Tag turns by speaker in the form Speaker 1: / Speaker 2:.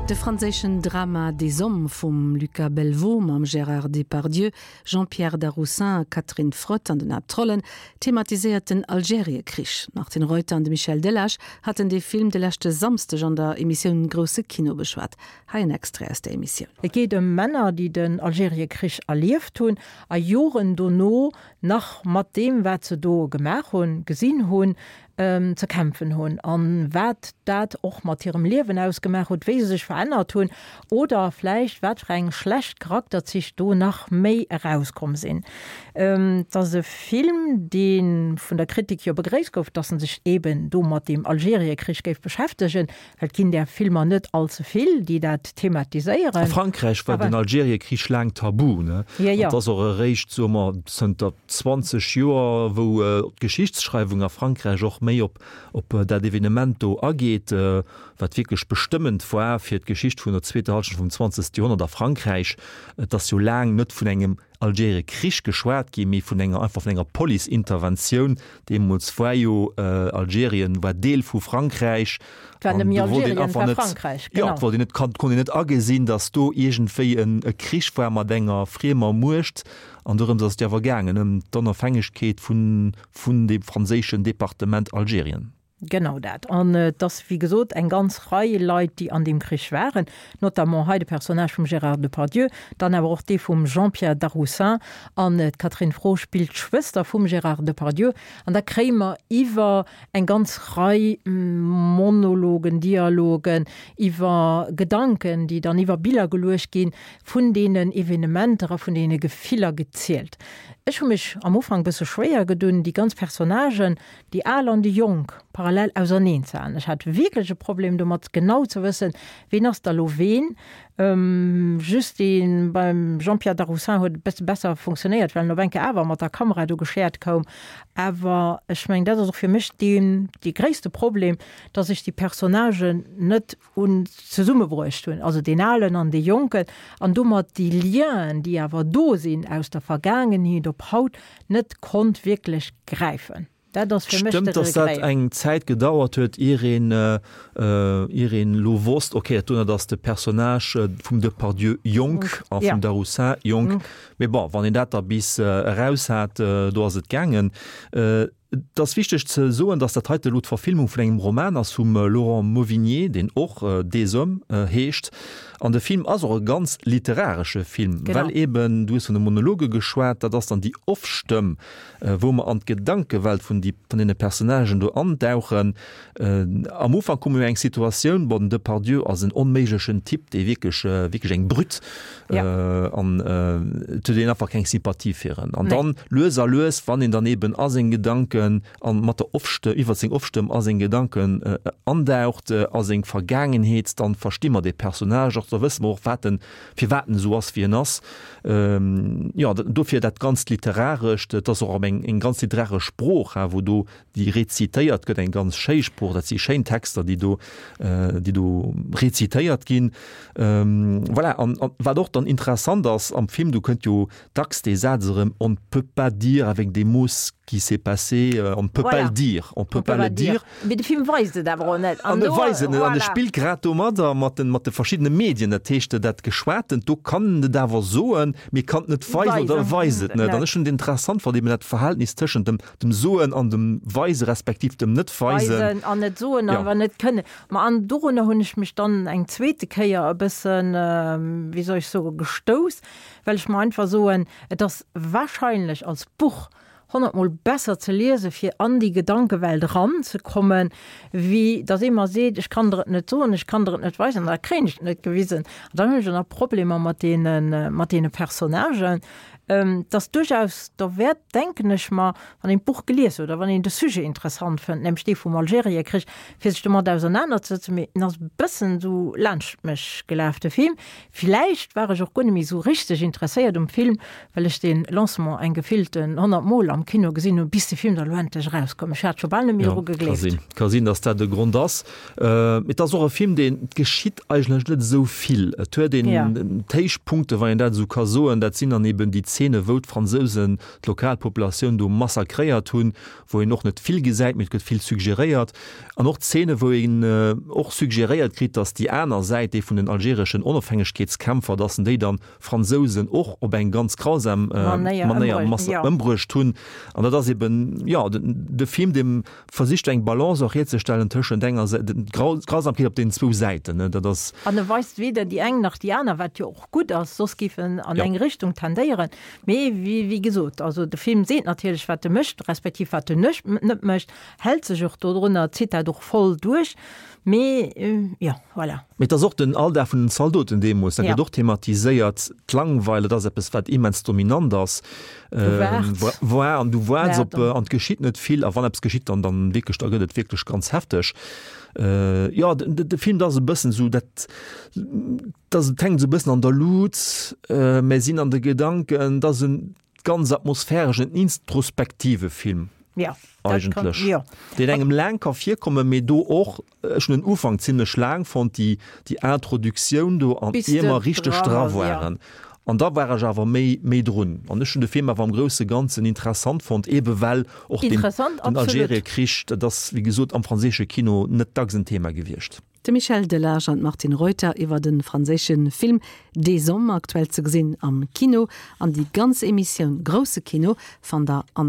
Speaker 1: De franséischen Drama Des Hommes vum Lucas Belvaux mam Gérard Depardieu, Jean-Pierre Darroussin, Catherine Frot an den Haaptrollen thematiséiert den Algeriekrich. D'Martine Reuter an de Michel Delage haten dee Film de leschte Samsdeg an der Emissioun Grousse Kino beschwat. Hei en Extrait aus der Emissioun.
Speaker 2: Et geet ëm Männer, déi den Algeriekrich erlieft hunn a Joren dono nach mat deem, wat se do gemaach hunn, gesinn hunn, ze kämpfen hunn an wat dat och mat hirem Liewen ausgemaach huet, wéi se sech verännert hunn oder vläicht wat fir eng schlecht Charakterzich do nach méi erauskomm sinn. Et ass e Film, dee vun der Kritik jo begréisst gouf, dass en sech eben do mat deem Algeriekrich géif beschäftegen, Well et ginn där Filmer net all ze vill, déi dat thematiséieren.
Speaker 3: A Frankräich war den Algeriekrich laang tabu, ne?
Speaker 2: Jo, jo.
Speaker 3: Et ass och eréischt, soe mer, zënter 20 Joer, wou d'Geschichtsschreiwung a Frankräich och méi op op dat Evenement do ageet, wat wierklech bestëmmend war fir d'Geschicht vun der zweeter Hallschent vum 20. Joerhonnert a Frankräich. Et ass jo laang net vun engem Algeriekrich geschwat ginn, mee vun enger, einfach vun enger Police-Interventioun. Deemools war jo Algerien war Deel vu Frankräich.
Speaker 2: Et war net méi Algerien, et war Frankräich,
Speaker 3: genau. Jo, et wollt een net, konnt een net agesinn, datt do iergendwéi en e Krich war mat enger friemer Muecht. An dorëms ass et jo awer gaangen, ëm d'Onofhängegkeet vun, vun deem franséischen Departement Algerien.
Speaker 2: Genau dat. An et ass, wéi gesot, eng ganz Rei Leit, déi an deem Krich waren, notamment hei de Personnage vum Gérard Depardieu, dann awer och dee vum Jean-Pierre Darroussin. An d'Catherine Frot spillt d'Schwëster vum Gérard Depardieu. An da kréie mer iwwer eng ganz Rei Monologen, Dialogen, iwwer Gedanken, déi dann iwwer Biller geluecht ginn, vun deenen Evenementer a vun deene Gefiller gezielt. Ech hu mech am Ufank e bësse schwéier gedun, déi ganz Personnagen, déi Al an déi Jonk parallel auserneen ze halen. Ech hat wierklech e Problem domat, genau ze wëssen, ween ass da lo ween. Just dee beim Jean-Pierre Darroussin huet e bësse besser funktionéiert, well en op eng Kéier awer mat der Kamera do geschäert koum. Awer ech mengen, dat ass och fir mech deen, dee gréisste Problem, dass ech déi Personnagen net un zesummebruecht hunn, also deen Alen an dee Jonken, an domat déi Lienen, déi awer do sinn aus der Vergaangenheet op haut, net konnt wierklech gräifen. Dat ass fir mech de
Speaker 3: Stëmmt, dass dat
Speaker 2: Regret.
Speaker 3: eng Zäit gedauert huet, ier een, ier een elo wosst, okay, dat dono ass de Personnage vum Depardieu jonk a
Speaker 2: Ja.
Speaker 3: vum Darroussin jonk. Mee bon, wann een dat da bis eraus hat, do ass et gaangen. Et ass wichteg ze soen, datt dat heite elo d'Verfilmung vun engem Roman ass vum Laurent Mauvignier, deen och Des Hommes heescht. An de Film ass och e ganz literaresche Film, well eben, du hues vun de Monologe geschwat, dat ass dann déi Off-Stëmm, wou mer an d'Gedankewelt vun deene Personnagen do andauchen. Am Ufank hu mer jo eng Situatioun, bon, den Depardieu ass en onméiglechen Typ, dee wierklech, wierklech eng Brütt, an et huet een einfach keng Sympathie fir en. An dann lues a lues, wann een dann eben a seng Gedanken an mat der Off-Stëmm, iwwer seng Off-Stëmm a seng Gedanken andaucht, a seng Vergaangenheet, dann versti mer dee Personnage och, da wësse mer och, wat en, firwat en esou ass, wéi en ass. Jo, dofir dat ganzt Literarescht, et ass och eng, eng ganz literaresch Sprooch, wou do déi rezitéiert gëtt, eng ganz schéi Sprooch, dat si schéin Texter, déi do, déi do rezitéiert ginn. Voilà, an, an wat och dann interessant ass am Film, do kënnt jo dacks dee Saz erëm, On ne peut pas dire avec des mots ce qui s'est passé, on ne peut pas le dire, on peut pas le dire.
Speaker 2: Mee de Film weist et awer och net.
Speaker 3: An e weist et net, an e spillt grad domadder, mat den, mat de verschiddene Medien, dat heescht, dat Geschwatent, do kann en et awer soen, mee kann et net weisen oder e weist et net. An ech hunn et interessant fonnt, eben dat Verhältnis tëschent dem, dem Soen an dem Weisen, respektiv dem Net-Weisen.
Speaker 2: Weisen an net soen, awer net kënnen. Ma an dorunner hunn ech mech dann eng zweete Kéier e bëssen, wéi soll ech soen, gestouss, well ech mer einfach soen, et ass wahrscheinlech als Buch honnertmol besser ze liesen, fir an déi Gedankewelt eranzekommen, wéi datt ee mer seet, ech kann der et net soen, ech kann der et net weisen, an da kréien ech et net gewisen. An dann hunn ech och nach Problemer mat deene, mat deene Personnagen. Et ass duerchaus derwäert, denken ech mer, wann een d'Buch gelies huet a wann een de Sujet interessant fënnt, nämlech dee vum Algeriekrich, fir sech domat ausernanerzesëtzen. Mee en ass e bëssen esou laanscht mech gelaf, de Film. Villäicht war ech och guer net méi esou richteg interesséiert um Film, well ech de Lancement eng gefillten 100 Mol am Kino gesinn hunn, bis de Film da lo endlech erauskoum. Ech hat scho bal net méi
Speaker 3: Jo,
Speaker 2: dru
Speaker 3: ka
Speaker 2: gegleeft.
Speaker 3: sinn, ka sinn, datt dat e Grond ass. Et ass och e Film, deen, et geschitt eigentlech net esou vill. Et huet een d'Héichpunkte, wann een dat esou ka soen, dat sinn dann eben déi. Zeene wou d'Fransousen d'Lokalpopulatioun do massakréiert hunn, wou een och net vill gesäit, mee et gëtt vill suggeréiert. An och Zeene wou een och suggeréiert kritt, datt déi aner Säit, déi vun den algereschen Onofhängegkeetskämpfer, datt en déi dann Fransousen och op eng ganz grausam Manéier ëmbruecht hunn. An dat ass eben, jo, de Film, dee versicht eng Balance och hierzestellen tëschent enger Säit, d'Grausamkeet op deenen zwou Säiten, dat ass.
Speaker 2: An e weist weder déi eng nach déi aner, wat jo och gutt ass, soss géif en an eng Richtung tendéieren. Mee wéi gesot, also de Film seet natierlech, wat e mécht, respektiv wat en net mécht, hält sech och dodrunner, zitt dat och voll duerch. Mee jo, voilà.
Speaker 3: Mee et ass och den Alldag vun den Zaldoten deemools, dat gëtt och thematiséiert. D'Langweil, dat ass eppes, wat immens dominant ass.
Speaker 2: Du waarts.
Speaker 3: Voilà, an du waarts op, an et geschitt net vill. A wann eppes geschitt, dann, dann wierklech, da gëtt et wierklech ganz hefteg. Jo, de Film, dat ass e bëssen esou dat, dat ass, et hänkt esou e bëssen an der Lut, mä sinn an de Gedanken, dat ass en ganz atmosphäreschen, introspektive Film.
Speaker 2: Ja,
Speaker 3: eigentlech.
Speaker 2: Kann, ja.
Speaker 3: Deen engem laang ka virkommen, mee do och, ech hunn den Ufank zimlech laang fonnt, déi, déi Introduktioun do an
Speaker 2: Bis
Speaker 3: ier
Speaker 2: de
Speaker 3: mer richteg
Speaker 2: dra
Speaker 3: dra
Speaker 2: ass, ja.
Speaker 3: waren. An da war ech awer méi, méi drun. An ech hunn de Film awer am grousse Ganzen interessant fonnt, eebe well och den,
Speaker 2: Interessant,
Speaker 3: den
Speaker 2: absolut.
Speaker 3: Algeriekrich, dat ass, wéi gesot, am franséische Kino net dacks en Thema gewiescht.
Speaker 1: De Michel Delage an d'Martine Reuter iwwer de franséische Film Des Hommes, aktuell ze gesinn am Kino. An déi ganz Emissioun Grousse Kino fannt der an.